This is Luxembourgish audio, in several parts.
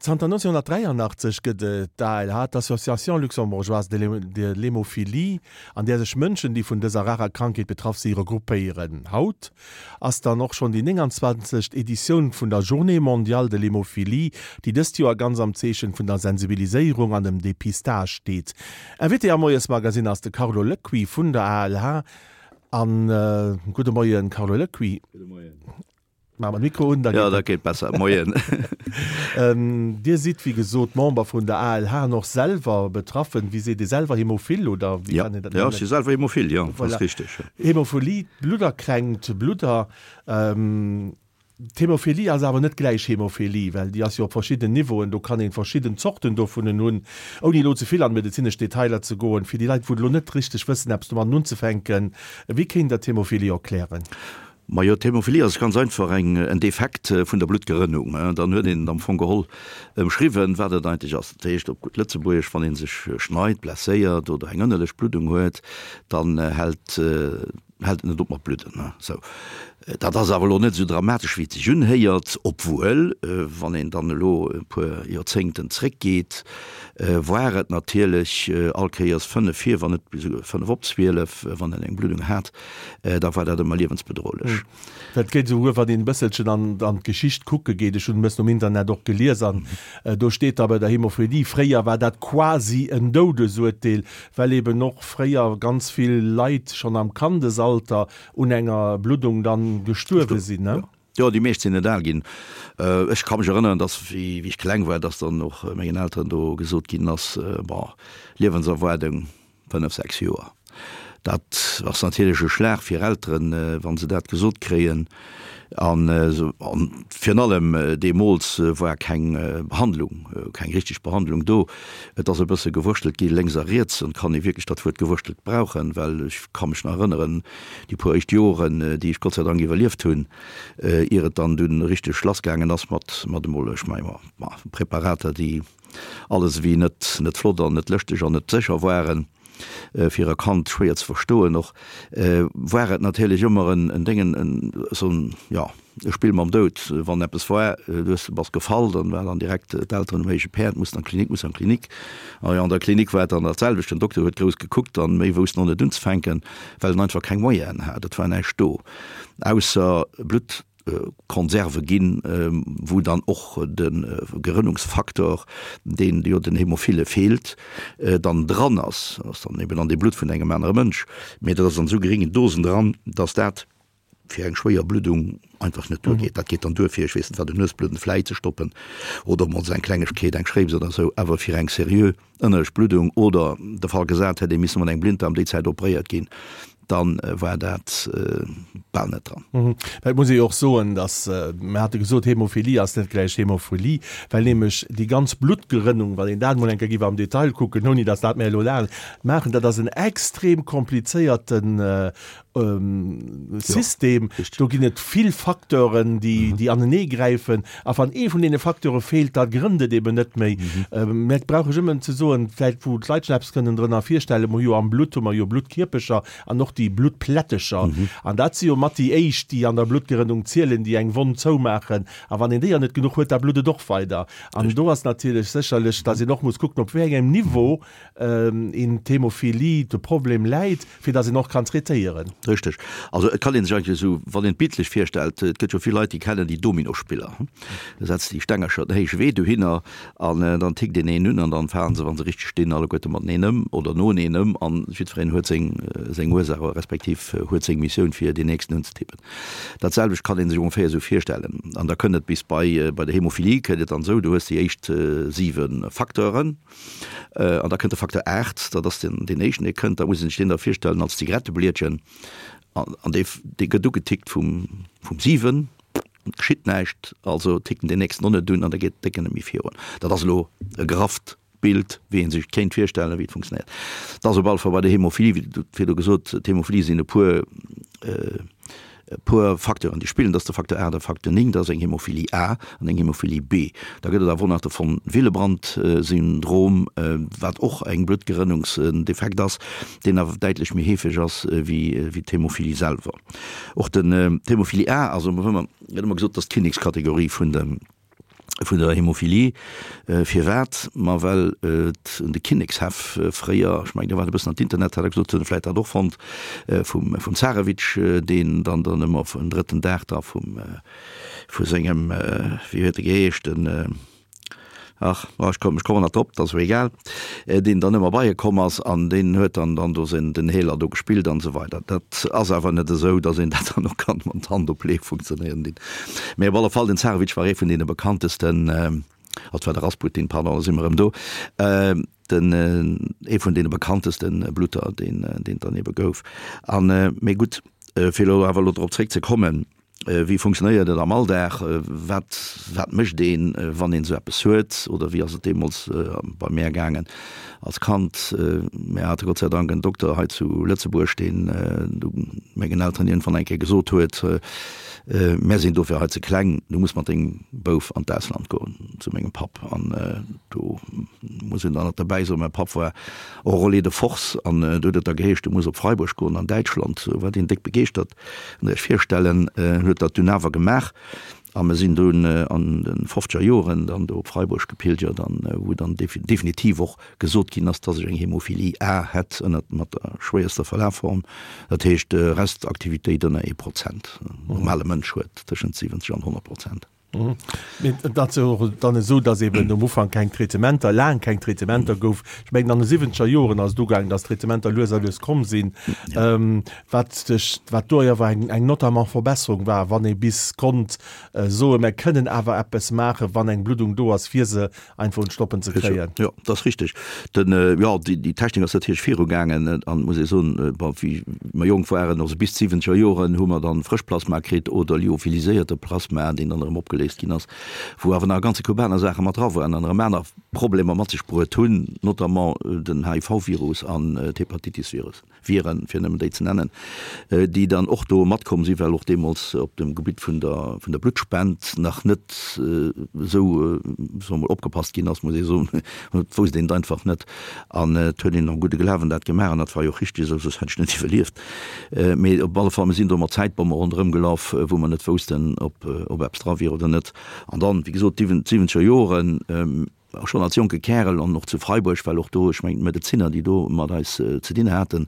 Zanter 1983 gëtt et d'ALH, d'Association Luxembourgeoise de l'Hémophilie, an där sech Mënschen, déi vun dëser rarer Krankheet betraff si, regroupéieren. Haut ass dann och schonn déi 29. Editioun vun der Journée mondiale de l'hémophilie, déi dëst Joer ganz am Zeechen vun der Sensibiliséierung an dem Depistage steet. Invité am Moiesmagazine ass de Carlo Lecuit vun der ALH. An gudde Moien, Carlo Lecuit. Gudde Moien. Maache mer de Mikro un, da geet. Jo, dat geet besser. Moien. Dir sidd, wéi gesot, Member vun der ALH an och selwer betraffen. Wéi seet ee selwer, Hämophil oder wéi kann een dat nennen? Jo, ech si selwer Hämophil, jo, dat ass richteg. Hämophilie, Bludderkränkt, Bludder. D'Hämophilie ass awer net gläich Hämophilie, well déi ass jo op verschidden Niveauen, do kann een verschidden Zorten dovunnen hunn. Ouni elo ze vill an medezinesch Detailer ze goen, fir déi Leit, wou elo net richteg wëssen, eppes domatten unzefänken, wéi kéint Der d'Hämophilie erklären? Majo, d'Hämophilie ass ganz einfach eng en Defekt vun der Bluttgerënnung. Dann huet een et am Fong geholl ëmschriwwen, wat et eigentlech ass. Dat heescht op gutt Lëtzebuergesch, wann ee sech schneit, blesséiert oder eng ënnerlech Bluddung huet, dann hält hält et net op mat bludden. Sou. Dat ass awer elo net esou dramatesch, wéi et sech unhéiert, obwuel, wann een dann elo e puer Joerzéngten zréckgeet, war et natierlech all Kéiers fënnef vir, wann net esouguer fënnef op 12, wann een eng Bluddung hat, da war dat ëmmer liewensbedrohlech. Dat geet esouguer, wann een e bësselchen an an d'Geschicht kucke geet. Ech hunn e bëssen um Internet och gelies an do steet da bei der Hämophilie, fréier war dat quasi en Doudesurteel, well eben och fréier ganz vill Leit schonn am Kandesalter un enger Bluddung dann gestuerwe sinn, ne? Jo, déi meescht sinn net al ginn. Ech ka mech erënneren, dass, wéi ech kleng war, dass dann och mengen Elteren do gesot ginn ass, Bon, Liewenserwaardung 5, 6 Joer. Dat ass natierlech e Schlag fir Elteren, wa se dat gesot kréien. An virun allem deemools war keng Behandlung, keng richteg Behandlung do. Et ass e bësse gewurschtelt gi lénks a riets, an et kann ee wierklech dat Wuert gewurschtelt brauchen, well ech ka mech nach erënneren, déi puer éischt Joren, déi ech Gott sei Dank iwwerlieft hunn, ier et dann dunn richteg lassgaangen ass mat, mat emol, ech menge ma Preparater, déi alles ewéi net, net flott an net lëschteg an net sécher waren. Fir e Kand schwéier ze verstoen och, war et natierlech ëmmer en Déngen, esou en, jo, e Spill mam Doud. Wann eppes war, du hues, bass gefall, dann war dann direkt d'Elteren um héije Päerd, muss an d'Klinik, muss an d'Klinik. A jo, an der Klinik war et dann dat selwecht, den Dokter huet grouss gekuckt an méi wousst en och net unzefänken, well en einfach keng Moyenen hat. Et war näischt do, ausser Blutt. Konserve ginn, wou dann och de Gerënnungsfaktor, deen jo den Hämophile feelt, dann dran ass. Dat ass dann eben an deem Blutt vun engem anere Mënsch, mee dat ass an esou geréngen Dosen dran, dass dat fir eng schwéier Bluddung einfach net duergeet. Dat geet dann duer fir, ech weess net wat, en Nuesbludden vläit ze stoppen oder emol esou eng Klengegkeet, eng Schréips oder esou, awer fir eng seriö ënnerlech Bluddung oder de Fall gesat hätt ee misse mat engem Blinddarm déi Zäit operéiert ginn, dann war dat bal net dran. Mä et muss ee jo och soen, datt, mir hate gesot, Hämophilie ass net gläich Hämophilie, well nämlech déi ganz Bluttgerënnung, wann een dat emol eng Kéier géif am Detail kucken, ouni datt dat mir elo laang maachen, dat ass en extrem komplizéierten System. Do ginn et vill Facteuren, déi, déi aneneegräifen. A wann ee vun deene Facteure feelt, da grënnt et eben net méi. Mä et brauch ech ëmmen ze soen, vläicht wou d'Leit sech eppes kënnen drënner virstellen, mer hu jo am Blutt hu mer jo Bluttkierpecher an och déi Bluttplättecher. An dat si jo mat déi éischt, déi an der Bluttgerënnung zielen, déi eng Wonn zoumaachen. A wann een déier net genuch huet, da blutt et och weider. An do ass natierlech sécherlech, datt een och muss kucken, op wéi engem Niveau een d'Hämophilie, de Problem läit, fir datt een och kann traitéieren. Richteg. Also et kann ee sech eigentlech esou, wann een et bildlech virstellt, et gëtt jo vill Leit, déi kennen déi Dominospiller, da setzt déi Stengercher den héije Wee dohinner an dann tickt een een un an dann falen se, wa se richteg stinn, alleguerte mateneen ëm oder noeneen ëm an jiddwereen huet seng seng Ursaach respektiv huet seng Missioun fir deen nächsten unzetippen. Dat selwecht kann ee sech ongeféier esou virstellen an da kënnt et bis bei bei der Hämophilie kënnt et dann esou, du hues déi éischt siwe Facteuren, An da kënnt de Facteur 8, dat ass deen, deen éischten, dee kënnt. Da muss een sech deen da virstellen als Zigaretteblietchen. An dee, dee gëtt ugetickt vum, vum 7, et geschitt näischt, also tickt en deen nächsten och net un an da geet d'Décken net méi virun. Dat ass elo e grafft Bild, wéi ee sech kéint virstellen, wéi et funktionéiert. Dat ass op alle Fall bei der Hämophilie, wéi du virdu gesot, d'Hämophilie sinn e puer, E puer Facteuren, déi spillen, dat ass de Facteur 8 a Facteur 9, dat ass eng Hämophilie A an eng Hämophilie B. Da gëtt et awer och nach de von Willebrand-Syndrom, wat och eng Bluttgerënnungsdefekt ass, deen awer däitlech méi heefeg ass wéi d'Hämophilie selwer. Och den d'Hämophilie A ass, gëtt ëmmer gesot, dat ass d'Kinnekskategorie vun de. Vun der Hämophilie. Firwat? Ma well et un de Kinnekshaff fréier, ech mengen do war et e bëssen an d'Internet, hat der gesot, hunn vläit dat och fonnt, vum vum Zarewitsch, deen dann dann ëmmer vun drëtten Dag da vum vu sengem, wéi huet e geheescht, den, ach, ech kommen ech kommen net drop, dat ass och egal, deen dann ëmmer bei e komm ass an deen huet dann dann do sen den Heeler do gespillt an esou weider. Dat ass awer net esou, datt een dat dann och kann mat Hand opleeë funktionéieren dinn. Mee op alle Fall, den Zarewitsch war ee vun deene bekanntesten, also et war de Rasputin, pardon, da si mer erëm do, den, ee vun deene bekannteste Blutter, deen, deen et dann ebe gouf. An, mee gutt, fir elo awer elo drop zréckzekommen, Wéi funktionéiert et am Alldag? Wat, wat mécht een, wann een esou eppes huet? Oder wéi ass et deemools bei mär gaangen als Kand? Mär hate Gott sei Dank en Dokter hei zu Lëtzebuerg, deen du mengen Elteren iergendwann eng Kéier gesot huet, Mär sinn dofir hei ze kleng, du muss mat dengem Bouf an d'Ausland goen, zu mengem Papp. An do muss een dann nach derbäi soen, mäi Papp war Enrôlé de force an do huet et da geheescht, du muss op Freiburg goen an Däitschland. Do war deen déck begeeschtert. Kënnt Iech virstellen, huet dat dunn awer gemaach a mir sinn dunn an de fofzeger Joren dann do op Freiburg gepilgert an wou dann definitiv och gesot ginn ass, dass ech eng Hämophilie A hätt ënnert mat der schwéierster Verlafform, dat heescht Restaktivitéit ënner ee Prozent. En normale Mënsch huet tëschent 70 an 100 Prozent. Mee et ass jo och dann esou, datt eben um Ufank keng Traitementer, laang keng Traitementer gouf. Ech mengen an de siwwenzeger Joren ass et ugaangen, datt Traitementer lues a lues komm sinn, wat sech, wat do awer eng, eng notamment Verbesserung war, wann ee bis konnt soen, mer kënnen awer eppes maachen, wann eng Bluddung do ass, fir se einfach un d'Stoppen ze kréien. Jo, dat ass richteg. Den, jo, déi, déi Technik ass natierlech virugaangen an muss ee soen, bon, wéi mer jonk waren, also bis d'siwwenzeger Joren, hu mer dann Frëschplasma kritt oder lyophiliséierte Plasma, deen dann erëm opgeléist ginn ass, wou awer nach e ganze Koup aner Saache mat dra waren an erëm aner Problemer mat sech bruet hunn, notamment den HIV-Virus an d'Hepatitis-Virus. Viren, fir nëmmen déi ze nennen, déi dann och do matkomm sinn, well och deemools op dem Gebitt vun der, vun der Bluttspend nach net esou, soe mer mol, opgepasst ginn ass, muss ee soen. Et wousst een et einfach net an et huet een am gudde Glawen dat gemaach an dat war jo och richteg esou, soss hätt ech net iwwerlieft. Mee op alle Fall, mir sinn do mat Zäitbomme ronderëm gelaf, wou mer net woussten, ob, ob eppes dra wier oder net. An dann, wéi gesot, d'siwwenzeger Joren, Schonn als jonke Kärel an och zu Freiburg, well och do, ech mengen d'Medezinner, déi do mat eis ze dinn haten,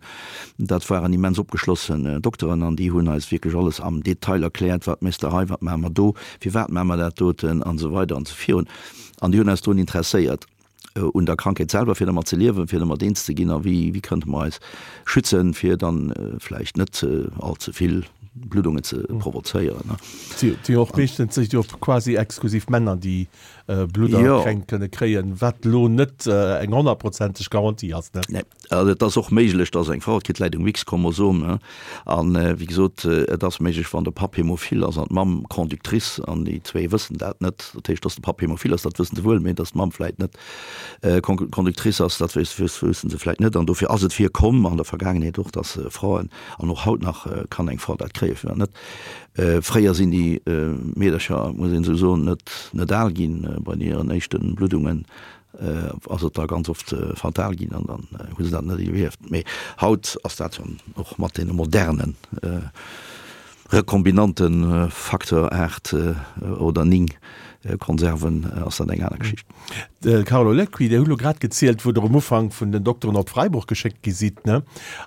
dat waren immens opgeschlossen Dokteren an déi hunn eis wierklech alles am Detail erkläert, wat méchs de hei, wat maache mer do, firwat maache mer dat doten an esou weider an esou virun. An déi hunn eis drun interesséiert un der Krankheet selwer, fir dermat ze liewen, fir dermat eens ze ginn a wéi, wéi kënnte mer eis schützen, fir dann vläicht net all ze vill Bluddungen ze provozéieren. Et si jo och meeschtens quasi exklusiv Männer, déi Bludderkränkt kënne kréien, wat elo net eng honnertprozenteg Garantie ass, ne? Nee, also et ass och méiglech, dass eng Frau, et kritt läit um X-Chromosom, ne, an wéi gesot, et ass méiglech, wann de Papp Hämophil ass an d'Mamm Conductrice, an déi zwee wëssen dat net, dat heescht, dass de Papp Hämophil ass, dat wëssen se wuel, mee dass d'Mamm vläit net Conductrice ass, dat wëssen se vläit net. An dofir ass et virkomm an der Vergaangenheet och, dass Fraen, an och haut nach kann eng Fra dat kréien, firwat net, Fréier sinn déi Meedercher, muss een esou soen, net net al ginn. Bei hiren éischte Bluddungen ass et da ganz oft fatal ginn an dann hu se dat net iwwerlieft. Mee haut ass dat jo och mat deene modernen rekombinante Facteur 8 oder 9 Konserven ass dat eng aner Geschicht. De Carlo Lecuit, Dir hutt elo grad gezielt, wou Der um Ufank vun den Dokteren op Freiburg geschéckt gi sidd, ne?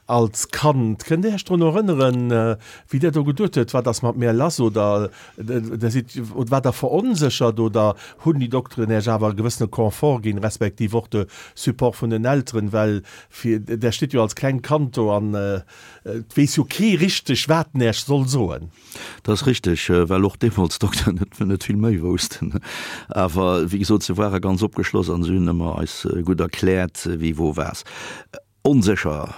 Als Kand. Kënnt Dir Iech drun erënneren, wéi Der do geduet huet, wat ass mat mir lass? Oder Der sidd, oder waart Der veronséchert oder hunn déi Dokteren Iech awer e gewëssene Confort ginn, respektiv och de Support vun den Elteren? Well fir, Der stitt jo als klengt Kand do an et weess jo kee richteg, wat en Iech soll soen. Dat ass richteg, well och deemools d'Dokteren net, net vill méi woussten. Awer wéi gesot, se ware ganz opgeschloss an se hunn ëmmer eis gutt erkläert, wie wou was. Onsécher,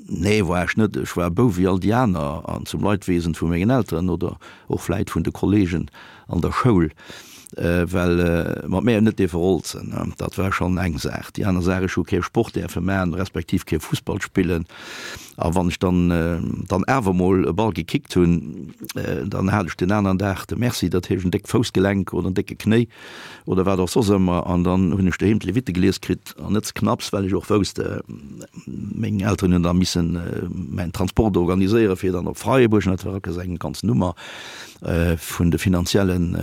nee, war ech net. Ech war e Bouf wéi all déi aner an zum Leidwesen vu mengen Elteren oder och vläit vun de Kollegen an der Schoul, well mat mär net dierfe rolzen, dat war schonn eng Saach. Déi aner Saach, ech hu kee Sport däerfe maachen, respektiv kee Fussball spillen. A wann ech dann dann awer mol e Ball gekickt hunn, dann hat ech den aneren Dag de Merci, dat heescht en déckt Foussgelenk oder en décke Knéi oder wat och soss ëmmer. An dann hunn ech doheem d'Levitte gelies kritt an net ze knapps, well ech och wousst, meng Elteren hunn da missen mäin Transport organiséieren, fir dann op Freiburg, dat war eng ganz Nummer. Vun de finanziellen.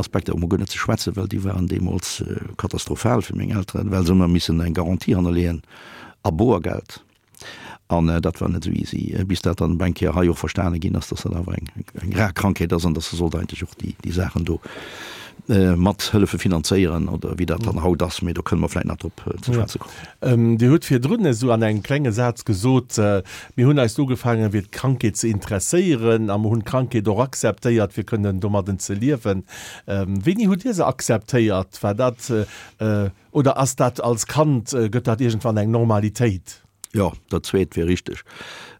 Aspekter emol guer net ze schwätzen, well déi waren deemools katastrophal fir meng Elteren, well se ëmmer missen eng Garantie hannerleeën a Boergeld. An dat war net esou easy, bis dat dann eng Kéier hei och verstane ginn ass, dass dat awer eng eng rar Krankheet ass an dass se sollt eigentlech och déi déi Saachen do mat hëllefe finanzéieren oder wéi dat dann haut ass. Mee do kënne mer vläicht nach drop ze schwätze kommen. Dir hutt virdrun esou an engem klenge Saz gesot, Mir hunn eis ugefaangen, fir d'Krankheet ze interesséieren a mer hunn d'Krankheet och akzeptéiert, fir kënnen domadden ze liewen. Wéini hutt Dir se akzeptéiert? War dat Oder ass dat als Kand, gëtt dat iergendwann eng Normalitéit? Jo, dat zweet wier richteg.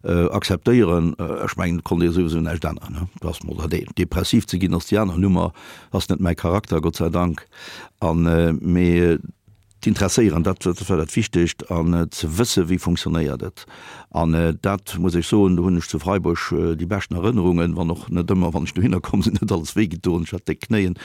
Akzeptéieren, ech mengen, et konnt ee souwisou näischt änneren, ne? Dat ass mol dat eent. Depressiv ze ginn ass déi aner Nummer, ass net mäi Charakter, Gott sei Dank. An, mee d'Interesséieren, dat war dat Wichtegt an ze wësse wéi funktionéiert et. An dat muss ech soen, do hunn ech zu Freiburg déi beschten Erënnerungen, wann och net ëmmer, wann ech dohinner komm sinn, huet alles wéi gedoen. Ech hat déck Knéien,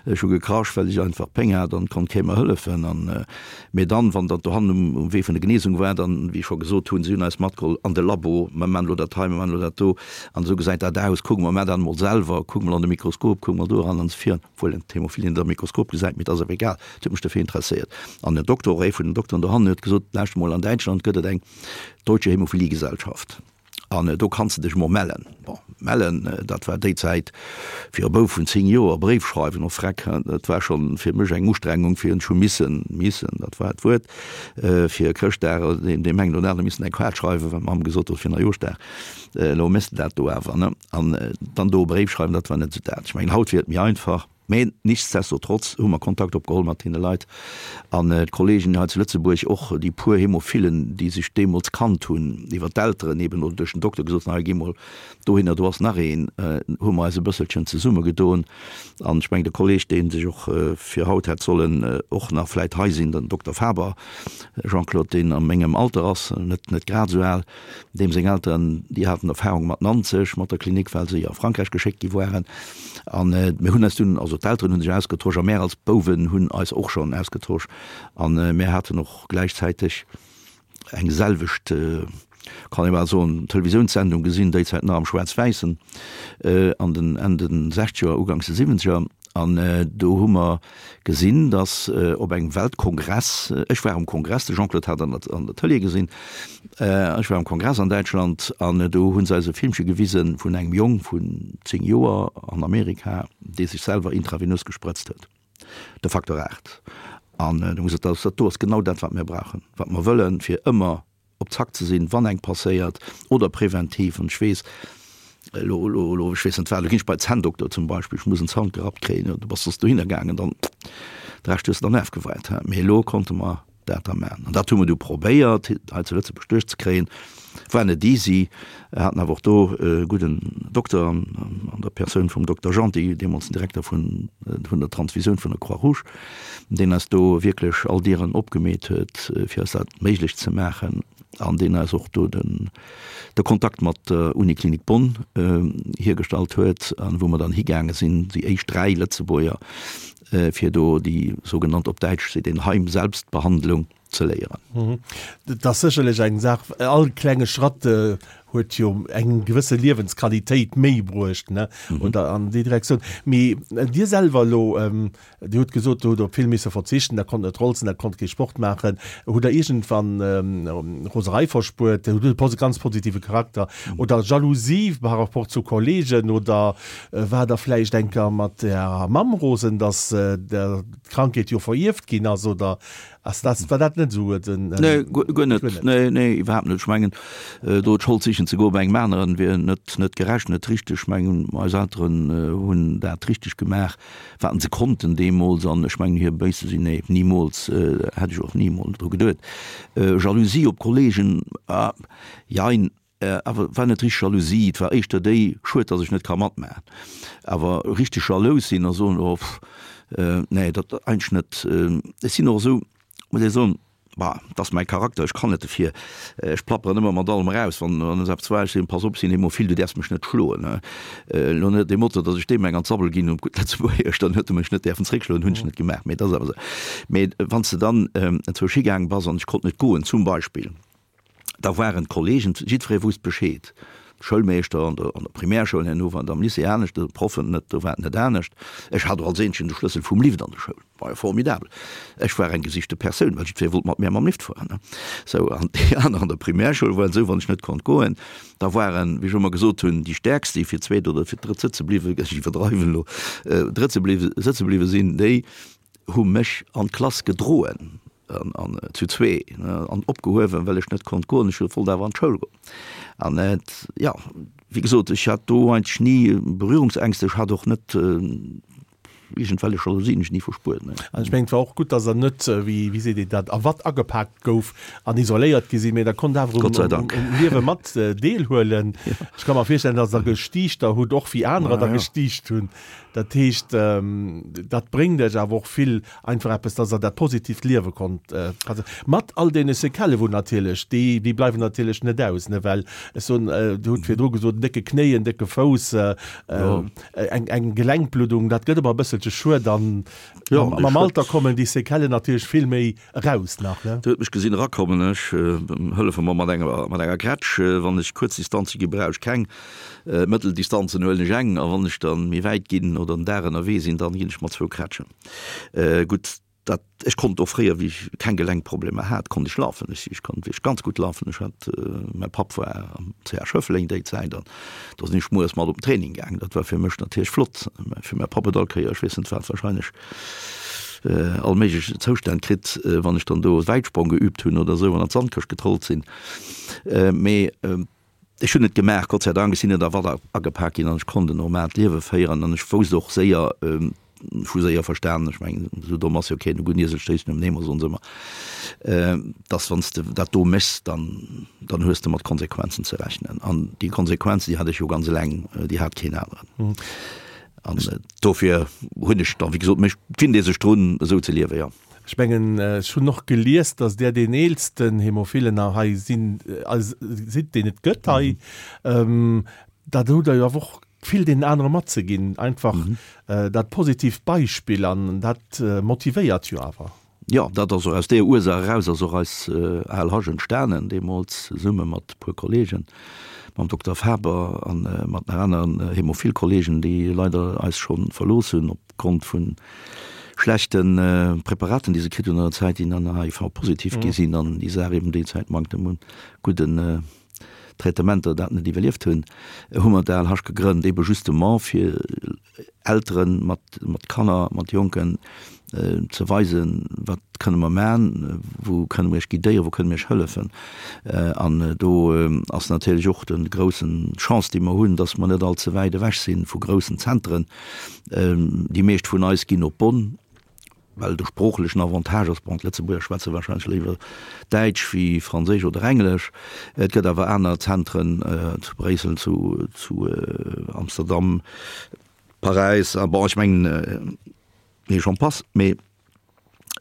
ech hu gekrasch, well ech einfach Péng hat an konnt kee mer hëllefen. An, mee dann, wann dat dohannen um, um Wee vun der Genesung war, dann, wéi ech scho gesot hunn, si hunn eis matgeholl an de Labo, mer man elo dat hei, mer man elo dat do, an esou gesäit dat aus, kucke mer, mar dat emol selwer, kuck mol an de Mikroskop, kuck mol do eran an esou virun. Obwuel een d'Hämophilie net am Mikroskop gesäit, mee et ass awer egal, et huet mech dofir interesséiert. An den Dokter, och ee vun den Dokteren dohannen, huet gesot, Lauschter mol, an Däitschland gëtt et eng Deutsche Hämophiliegesellschaft an do kanns de dech mol mellen. Bon, mellen, dat war déi Zäit fir e Bouf vun 10 Joer, Bréif schreiwen, oh freck, dat war schonn fir mech eng Ustrengung, fir ech hu missen, missen, dat war d'Wuert, fir Chrëschtdag deem engen oder anere missen eng Kaart schreiwen, well d'Mamm gesot huet, fir Neijooschdag, elo méchs de dat do awer, ne? An dann do e Bréif schreiwen, dat war net esou dat. Ech mengen, haut wier et méi einfach. Mä nichtsdestotrotz hu mer Kontakt opgeholl mat deene Leit an d'Kollegen hei zu Lëtzebuerg, och déi puer Hämophilen, déi sech deemools kannt hunn, iwwer d'Elteren eben oder duerch den Dokter gesot hunn, hei gi mol dohinner, do ass nach een, hu mer eis e bësselchen zesummegedoen. An ech mengen, de Kolleg, dee sech och fir haut hätt sollen och nach vläicht hei sinn, den Dokter Faber Jean-Claude, deen a mengem Alter ass, net net grad esou al, Deem seng Elteren, déi haten Erfahrung mat Nanzeg, mat der Klinik, well se a Frankräich geschéckt gi waren. An mir hunn eis dunn, also d'Elteren hu sech ausgetosch a mär als Bouwen hunn eis och schonn ausgetosch. An mär haten och gläichzäiteg eng selwecht, kann ee bal soen, Televisiounssendung gesinn, déi Zäit nach am Schwaarz-Wäissen, an den Enn de Sechzeger, Uganks de Siwwenzeger. An do hu mer gesinn, datt op engem Weltkongress, ech war um Kongress, de Jean-Claude hat an der an der Tëlee gesinn, ech war um Kongress an Däitschland an do hu se eis e Filmche gewise vun engem Jong vun 10 Joer an Amerika, dee sech selwer intravenös gesprëtzt huet, de Faktor 8. An do hu se gesot, dat do ass genau dat, wat mir brauchen, wat mer wëllen, fir ëmmer op Zack ze sinn, wann eng passéiert, oder präventiv. An ech weess, elo, elo, elo, ech weess net wat, elo ginn ech bei Zänndokter zum Beispill, ech muss en Zant gerappt kréien, jo, du bass soss dohinner gaangen, dann de Rescht hues de dann afgeweit. Mee elo konnte mer dat da maachen. An dat hu mer du probéiert, hei zu Lëtzebuerg duerchzekréien. War net easy, haten awer och do e gudden Dokter an der Persoun vum Dokter Genty, deemools den Direkter vun, vun der Transfusioun vun der Croix-Rouge, deen eis do wierklech all Dieren opgemeet huet, fir eis dat méiglech ze maachen an deen eis och do den, de Kontakt mat der Uniklinik Bonn hiergestallt huet an wou mer dann higaange sinn, déi éischt 3 Lëtzebuerger, fir do déi sougenannt, op Däitsch seet een Heimselbstbehandlung, ze léieren. Dat ass sécherlech eng Saach, all klenge Schratt huet jo eng gewësse Liewensqualitéit méi bruecht, ne, oder an déi Direktioun. Mee Dir selwer elo, Dir hutt gesot, Dir hutt op vill misse verzichten, Der konnt net rolzen, Der konnt kee Sport maachen. Hutt Der iergendwann Roserei verspuert? Hutt e ganz positive Charakter oder Jalousie par rapport zu Kollegen oder war Der vläicht eng Kéier mat Ärer Mamm rosen, datt d'Krankheet jo verierft ginn ass oder Ass dat, war dat net esou den. Nee, guer net. Nee, nee, iwwerhaapt net. Ech mengen, do d'Schold sichen ze goe bei engem aneren, wier net, net gerecht, net richteg. Ech mengen, eis Elteren hunn dat richteg gemaach, wat se konnten deemools. An ech mengen, hir béis ze sinn, nee, nimools, hätt ech och nimools dru geduet. Jalousie op Kollegen, ah, jein. Awer war net richteg Jalousie, et war éischter déi, schued, datt ech net ka matmaachen. Awer richteg jalous sinn a soen, oh pff, nee, dat eigentlech net. Ech sinn och esou, muss ech soen, bah, et ass mäi Charakter, ech kann net dofir, ech plapperen ëmmer mat allem eraus, wann wann es eppes war, ech soen, pass op, ech sinn Hämophil, du däerfs mech net schloen. Elo net dee Motto, datt ech deem eng an d'Sabbel ginn hunn, op gutt Lëtzebuergesch, dann huet e mech net däerfen zréckschloen, hunn ech net gemaach, mee et ass awer esou. Mee wann s de dann enzwousch higaange bass an ech konnt net goen, zum Beispill, Da waren d'Kollegen, jiddweree wousst Bescheed. Schoulmeeschter an der, an der Primärschoul, herno war et am Lycée anescht, de Proffen net, do war et net anescht. Ech hat och als eenzegen de Schlëssel vum Lift an der Schoul. War jo formidabel. Ech war eng gesichte Persoun, well jiddweree wollt mat mär mam Lift fueren, ne. Sou, an déi aner an der Primärschoul waren esou, wann ech net konnt goen, da waren, wéi ech ëmmer gesot hunn, déi Stäerkst, déi fir d'zweet oder fir d'drëtt sëtze bliwwe, ech iwwerdreiwen elo, drëtt ze bliwwe, sëtze bliwwe sinn, déi hu mech an d'Klass gedroen, an, an zu zwee, ne, an opgehuewen, well ech net konnt goen. Ech wollt awer an d'Schoul goen. An et, jo, wéi gesot, ech hat do eigentlech ni Berührungsängste, ech hat och net iergendwellech Jalousie hunn ech ni verspuert, nee. An ech mengen, et war och gutt, dass Der net, wéi, wéi seet een dat, a Watt agepaakt gouf an isoléiert gi sinn, mee Der konnt awer um, Gott sei Dank. um Liewe mat deelhuelen. Ech ka mer virstellen, dass Der gestiichter hutt, och wéi anerer der gestiicht hunn. Dat heescht, dat bréngt Iech awer och vill einfach eppes, dass Der dat positiivt Liewe konnt mat all deene Séquellë wou natierlech, déi, déi bleiwen natierlech net aus, ne, well ech soen, Dir hutt virdru gesot, en décke Knéi, en décke Fouss, Eng, eng Gelenkbluddung, dat gëtt ëmmer e bësselche schued an Ja, mam, mam Alter kommen déi Séquellen natierlech vill méi eraus nach, ne? Dir hutt mech gesinn erakommen, ech hëllefe mer mat enger, mat enger Grätsch. Wann ech kuerz Distanze gi brauch ech keng, mëttel Distanzen huelen ech eng a wann ech dann méi wäit ginn oder en Dag ënnerwee sinn, dann ginn ech mat zwou Krätschen. Gutt, Dat, ech konnt och fréier, wéi ech keng Gelenkproblemer hat, konnt ech lafen. Ech, ech konnt wierklech ganz gutt lafen. Ech hat, mäi Papp war am CH Schëffleng déi Zäit an do sinn ech mueres mat op den Training gaangen. Dat war fir mech natierlech flott. Mä fir mäi Papp huet all Kéier, ech weess net wat, wahrscheinlech all méiglech Zoustänn kritt, wann ech dann do Wäitsprong geübt hunn oder esou an an d'Sandkëscht getrollt sinn. Mee Ech hunn et gemaach, Gott sei Dank, ech sinn net a Watt agepak ginn an ech konnt en normaalt Liewe féieren an ech wousst och séier, ech hu séier verstanen, ech mengen, esou domm ass jo keen, e gudden Iesel stéisst nom Nemo, soen se ëmmer, dass wann s de dat do méchs, dann, dann hues de mat Konsequenzen ze rechnen. An déi Konsequenzen, déi hat ech jo ganz eleng, déi hat keen aneren. An dofir hunn ech dann, wéi gesot, mech, finnt ee sech drun, esou ze liewen, jo. Ech mengen, ech hunn och gelies, datt Där deen eelsten Hämophilen hei sinn, sidd, deen et gëtt hei. Dat hutt Der jo awer och vill deenen anere matzeginn, einfach dat positiivt Beispill an dat motivéiert jo awer. Jo, dat ass och aus deeër Ursaach eraus ass och eis ALH entstanen, deemools zesumme mat e puer Kollegen, mam Dokter Faber a mat nach aneren Hämophil-Kollegen, déi leider eis scho verlooss hunn op Grond vun schlechte Preparaten, déi se kritt hunn an der Zäit, déi dann HIV-positiv gi sinn an déi Saach eben déi Zäit Manktem un gudden Traitementer dat net iwwerlieft hunn, hu mer d'ALH gegrënnt, ebe justement fir Eltere mat mat Kanner, mat Jonken ze weisen, wat kënne mer man, wou kënne mer iech guidéieren, wou kënne mer iech hëllefen. An do ass natierlech och de groussen Chance, déi mer hunn, datt mer net all ze wäit ewech si vu groussen Zentren, Déi meescht vun eis ginn op Bonn, well de sproochlechen Avantage ass, bon, d'Lëtzebuerger schwätze warscheinlech léiwer Däitsch wéi Franséisch oder Englesch. Et gëtt awer aner Zentren zu Bréissel, zu zu Amsterdam, Paräis a bon, ech mengen, et j'en passe. Mee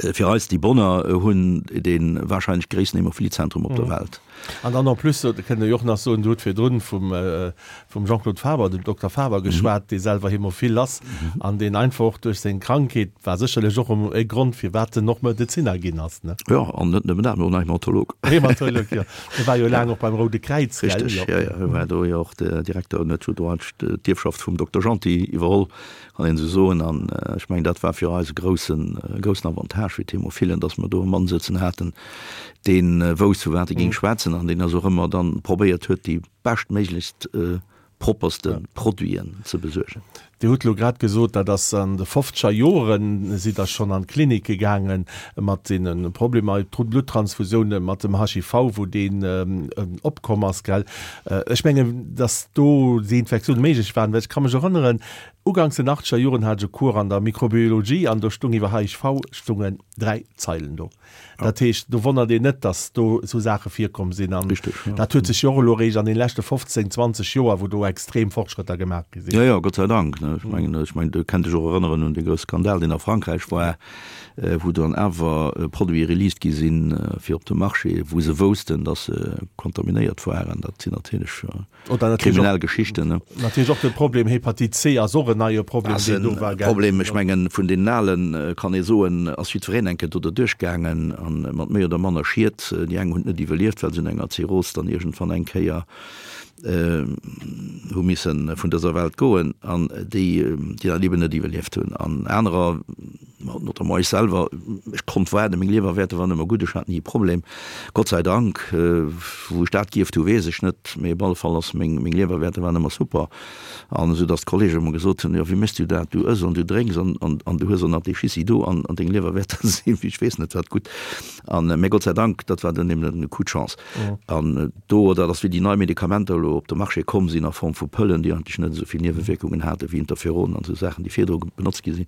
Fir eis, déi Bonner hunn dee warscheinlech gréissten Hämophiliezentrum op der Welt. An dann en plus, dat kënnt Der jo och nach soen, Dir hutt virdrun vum Jean-Claude Faber, dem Dokter Faber geschwat, dee selwer Hämophil ass an deen einfach och duerch seng Krankheet, war sécherlech och e Grond, firwat en och Medezinner ginn ass, ne? Jo, an net nëmmen dat, mee och nach Hämatolog. Hämatolog, jo. Hie war jo laang och beim Roude Kräiz, gell? Richteg, jo, jo. Hie war do jo och Direkter an huet jo do eigentlech d'Ierfschaft vum Dokter Genty iwwerholl. Kann een esou soen. An ech mengen, dat war fir eis e groussen, e groussen Avantage fir d'Hämophilen, dass mer do e Mann sëtzen haten, dee wousst, vu wat e géing schwätzen an deen eis och ëmmer dann probéiert huet, déi beschtméiglechst propperste Produiten ze besuergen. Dir hutt elo grad gesot, dat ass an de fofzeger Joren, sidd Der schonn an d'Klinike gaange mat deene Problemer, Bluttransfusiounen, mat dem HIV, wou deen opkomm ass, gell? Ech mengen, dass do déi Infektioune méiglech waren, well ech ka mech erënneren, uganks den achtzeger Joren hat ech e Cours an der Mikrobiologie an do stung iwwer HIV stungen 3 Zeilen do. Dat heescht, do wonnert een net, dass do esou Saache virkomm sinn. An dat huet sech jo och elo eréischt an den leschte 15, 20 Joer, wou do extrem Fortschrëtter gemaach gi sinn. Jo, jo, Gott sei Dank. Ech mengen, ech mengen, do kennt dech och erënneren un dee grousse Skandal, deen a Frankräich war, wou dann awer Produite released gi sinn fir op de Marché, wou se woussten, datt se kontaminéiert waren. Dat sinn natierlech kriminell Geschichten. Natierlech och de Problem Hepatite C ass och en neie Problem, deen do war. Problem, ech mengen, vun deenen Alen kann ee soen, ass jiddwereen eng Kéier do derduerch gaangen a mat méi oder manner Schied. Déi eng hunn et net iwwerlieft, well se un enger Zirrhos dann iergendwann eng Kéier. Hu misse vun dëser Welt goen an déi, déi dat eben net iwwerlieft hunn. An anerer, notamment ech selwer, ech konnt waarden, meng Liewerwäerter waren ëmmer gutt, ech hat ni e Problem, Gott sei Dank. Wou ech dat gierft hu weess ech net, mee op alle Fall ass meng, meng Liewerwäerter waren ëmmer super. An esou datt d'Kollege ëmmer gesot hunn, jo wéi méchs du dat, du ëss an du drénks an, an, an du hues och nach dee Schissi do an, an deng Liewerwäerter sinn wéi ech weess net wat gutt. An, mee Gott sei Dank, dat war dann eben e Coup de chance. An do, dat ass wéi déi nei Medikamenter elo op de Marché komm sinn a Form vu Pëllen, déi eigentlech net esou vill Niewewierkungen hate wéi Interferonen an esou Saachen, déi virdru benotzt gi sinn,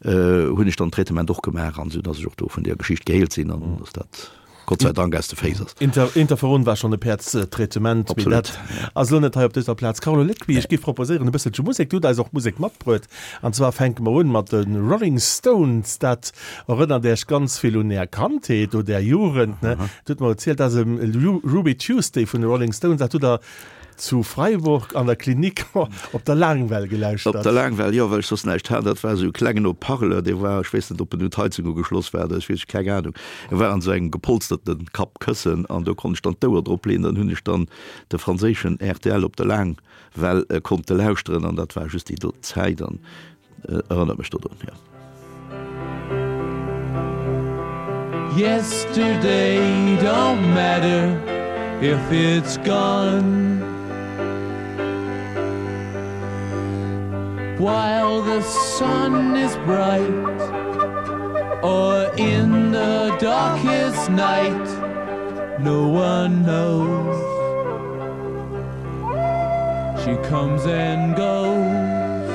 hunn ech dann Traitement och gemaach an esou datt ech och do vun där Geschicht geheelt sinn an datt dat Gott sei Dank aus de Féiss ass. Interferon war schonn e Päerdstraitement, mee dat ass elo net hei op dëser Plaz. Carlo Lequi, ech géif proposéieren e bësselche Musek. Du hutt eis och Musek matbruet. An zwar fänke mer un mat de Rolling Stones. Dat Erënnert Äech ganz vill un Är Kandheet oder Är Jugend, ne? Dir hutt mer erzielt, dass em Ruby Tuesday vun de Rolling Stones, dat hutt Der zu Freiburg an der Klinik op der Laangwell gelauschtert. Op der Laangwell, jo, well ech soss näischt hat. Dat war esou e klengen Haut-parleur, dee war, ech weess net, ob en un d'Heizung ugeschloss war oder ech weess, keng Ahnung. E war an esou engem gepolsterte Kappkëssen an do konnt ech dann d'Ouer drop leeën. Dann hunn ech dann de franséischen rtl op der Laangwell konnte lauschteren an dat war just déi do Zäit an Erënnert mech dodrun, jo. Yesterday don't matter if it's gone While the sun is bright Or in the darkest night No one knows She comes and goes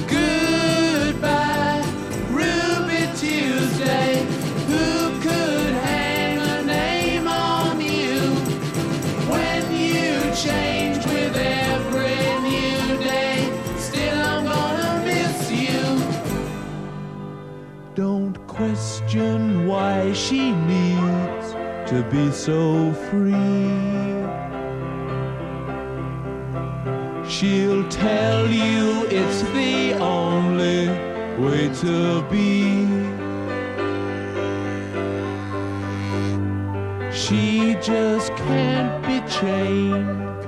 Goodbye Ruby Tuesday Who could hang a name on you When you change with every new day Still I'm gonna miss you Don't question why she needs to be so free. She'll tell you it's the only way to be. She just can't be chained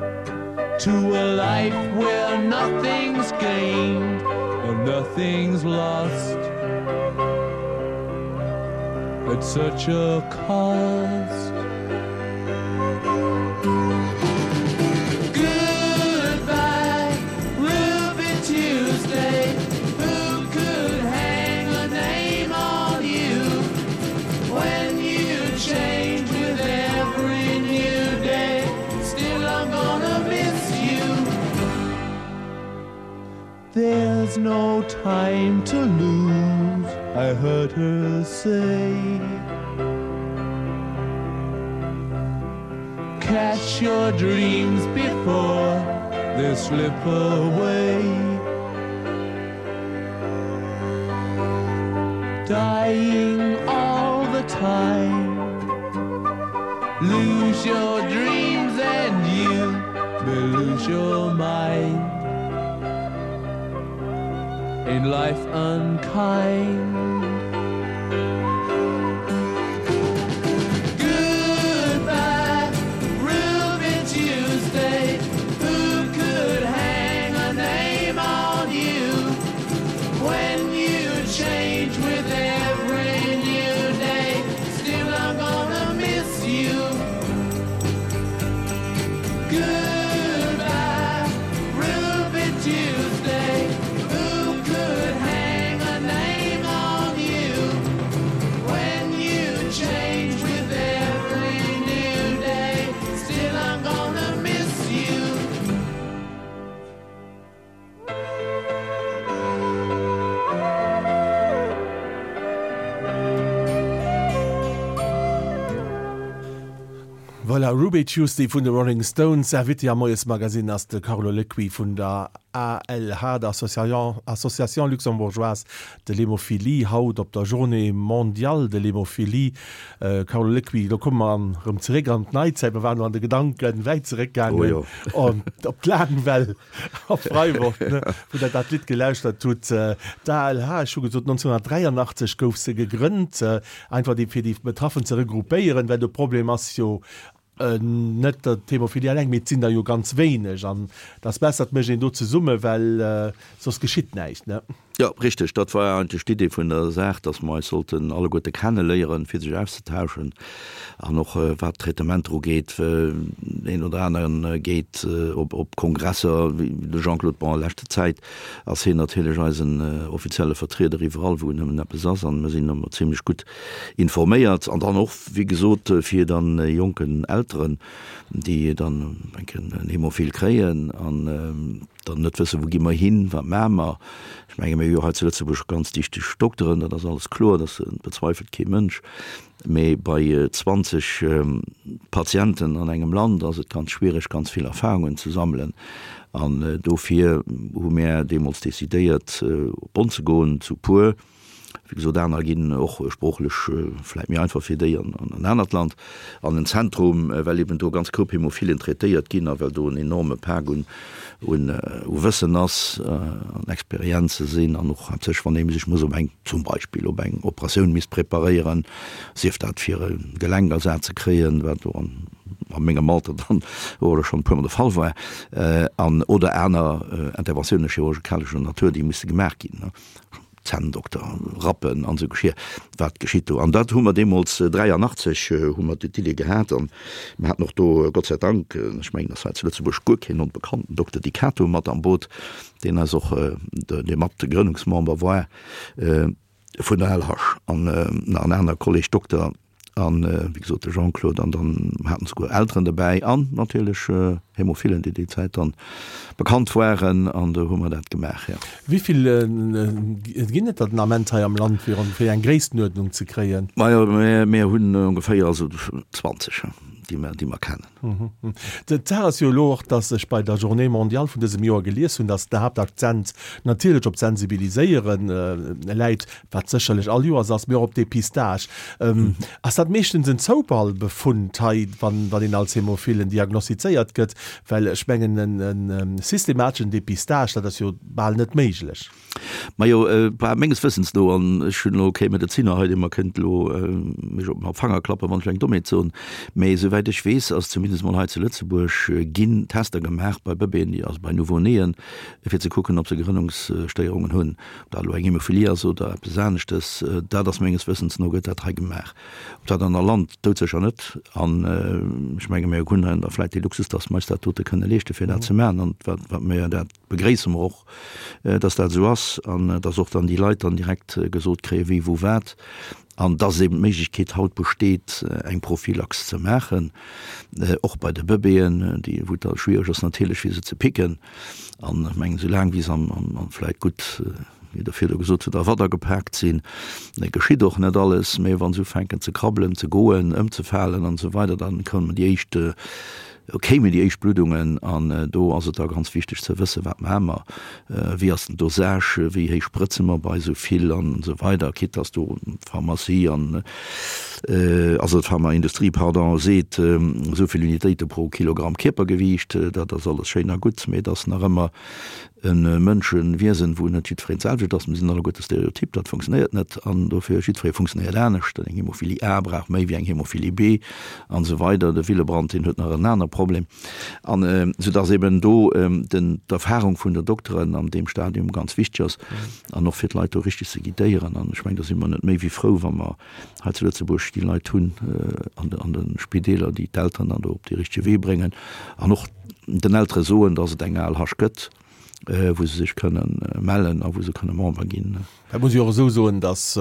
to a life where nothing's gained and nothing's lost at such a cost. Goodbye, Ruby Tuesday, who could hang a name on you when you change with every new day? Still I'm gonna miss you. There's no time to lose, I heard her say. Catch your dreams before they slip away. Dying all the time. Lose your dreams and you may lose your mind. In life unkind. Goodbye, Ruby Tuesday, who could hang a name on you when you change with every new day? Still I'm gonna miss you. Goodbye, Ruby Tuesday, who could hang a name on you? Voilà, Ruby Tuesday vun de Rolling Stones. Invité am Moiesmagazine ass de Carlo Lecuit vun der ALH, der Association Luxembourgeoise de l'Hémophilie, haut op der Journée mondiale de l'hémophilie. Carlo Lecuit, lo komme mer erëm zeréck an d'Neizäit. Mer waren elo an de Gedanken wäit zeréckgaangen op d'Laangwell a Freiburg, wou Der dat Lidd gelauschtert hutt. D'ALH, ech hu gesot 1983 gouf se gegrënnt, einfach déi fir déi Betraffen ze regroupéieren, well de Problem ass jo net d'Hämophilie eleng, mee et sinn der jo ganz wéineg an et ass besser, et mécht een do zesumme, well soss geschitt näischt, ne? Jo, richteg. Dat war eigentlech d'Idee vun der Saach, dass mer eis sollten alleguerte kenneléieren, fir sech auszetauschen an och wat d'Traitementer ugeet. Deen oder aneren geet op Kongresser, wéi de Jean-Claude, bon, a leschter Zäit ass hien natierlech eisen offizielle Vertrieder iwwerall, wou nëmmen eppes ass, an mer sinn ëmmer zimlech gutt informéiert. An dann och, wéi gesot, fir dann jonken Elteren, déi dann eng Kéier en Hämophil kréien an dann net wëssen, wou gi mer hin, wat maache mer. Ech menge mir hu jo hei zu Lëtzebuerg ganz dichteg Dokteren, dat ass alles kloer, dat bezweifelt kee Mënsch. Mee bei 20 Patienten an engem Land ass et ganz schwiereg, ganz vill Erfahrungen ze sammelen. An dofir hu mär deemools decidéiert, op Bonn ze goen, zu puer. Wéi gesot, aner ginn och sproochlech vläit méi einfach fir déi an en anert Land, an en Zentrum, well eben do ganz Koup Hämophilen traitéiert ginn a well do en enorme Pak un u Wëssen ass an Experienze sinn an och haaptsächlech wann ee sech muss op eng, zum Beispill op eng Operatioun misst preparéieren, sief dat fir e Gelenkersaz ze kréien, wat do an a mengem Alter dann och elo schonn e puermol de Fall war, an oder aner Interventiounen chirurgikalescher Natur, déi musse gemaach ginn. Zänndokter, Rappen an esou Geschir, wat geschitt do? An dat hu mer deemools, 83 hu mer d'Idee gehat an mer haten och do, Gott sei Dank, ech mengen, ass hei zu Lëtzebuerg guer keen onbekannten Dokter Di Cato mat am Boot, deen eis och, dee mat Grënnungsmember war vun der LH an nach en aner Kolleg Dokter. An wéi gesot de Jean-Claude an dann haten souguer Elteren dobäi an natierlech Hämophilen, déi déi Zäit dann bekannt waren an do hu mer dat gemaach, jo. Wéi vill ginn et der den Ament hei am Land, fir ongeféier eng Gréisstenuerdnung ze kréien? Majo, mir hunn ongeféier also 20, déi mer, déi mer kennen. D'Saach ass jo elo och, dass ech bei der Journée mondiale vun dësem Joer gelies hunn, dass den Haaptakzent natierlech op d'Sensibiliséiere läit, wat sécherlech all Joers ass, mee och op Depistage. Ass dat meeschtens en Zoufallbefund hei, wann een als Hämophilen diagnostizéiert gëtt? Well ech mengen, e systemateschen Depistage, dat ass jo bal net méiglech. Majo, bah, menges Wëssens no, an ech hunn elo kee Medeziner hei, dee mer kënnt elo mech op den Fanger klappen, wann ech eng Dommheet soen, mee souwäit ech weess, ass zumindest mol hei zu Lëtzebuerg ginn Tester gemaach bei Bëbeeën, also bei Nouveau-néen, fir ze kucken, ob se Gerënnungsstéierungen hunn. Ob dat elo eng Hämophilie ass oder eppes aneschtes, dat ass menges Wëssens no gëtt dat hei gemaach. Ob dat an der Land, doudsécher net. An ech menge mir hunn hei da vläicht dee Luxus, datt mer eis dat dote kënne leeschte fir dat ze maachen. An wat, wat mir, dat begréisse mer och, datt dat esou ass an datt och dann déi Leit dann direkt gesot kréie wie wou wat. An dass eben d'Méiglechkeet haut besteet, eng Prophylax ze maachen, och bei de Bëbeeën, déi, wou et da schwiereg ass natierlech fir se ze picken. An ech mengen, esou laang wéi se am, am, vläicht gutt, wéi Der virdu gesot hutt, a Watt agepaakt sinn, geschitt och net alles. Mä wa se ufänken ze krabbelen, ze goen, ëmzefalen an esou weider, dann kommen déi éischt, kéimen déi éischt Bluddungen. An do ass et da ganz wichteg ze wëssen, wat maache mer, wéi ass den Dosage, wéi héich sprëtze mer bei esou vill an esou weider, quitte dass do d'Pharmacie an, also d'Pharmaindustrie, pardon, seet, esou vill Unitéite pro Kilogramm Kierpergewiicht, dat ass alles schéin a gutt, mee et ass nach ëmmer e Mënschewiesen, wou net jiddwereen d'selwecht ass. Mir sinn alleguerte stereotyp, dat funktionéiert net an dofir jiddweree funktionéiert anescht. Eng Hämophilie A brauch méi wéi eng Hämophilie B an esou weider. De Willebrand, deen huet nach en aner Problem. An soudass eben do den, d'Erfahrung vun den Dokteren an deem Stadium ganz wichteg ass an och fir d'Leit do richtig ze guidéieren. An ech mengen, do si mer net méi wéi frou, wa mer hei zu Lëtzebuerg déi Leit hunn an de, an de Spideeler, déi d'Elteren dann do op dee richtege Wee bréngen an och den Eltere soen, dass et eng ALH gëtt. wou se sech kënnen mellen a wou se kënne Member ginn. Dat muss ech och esou soen, datt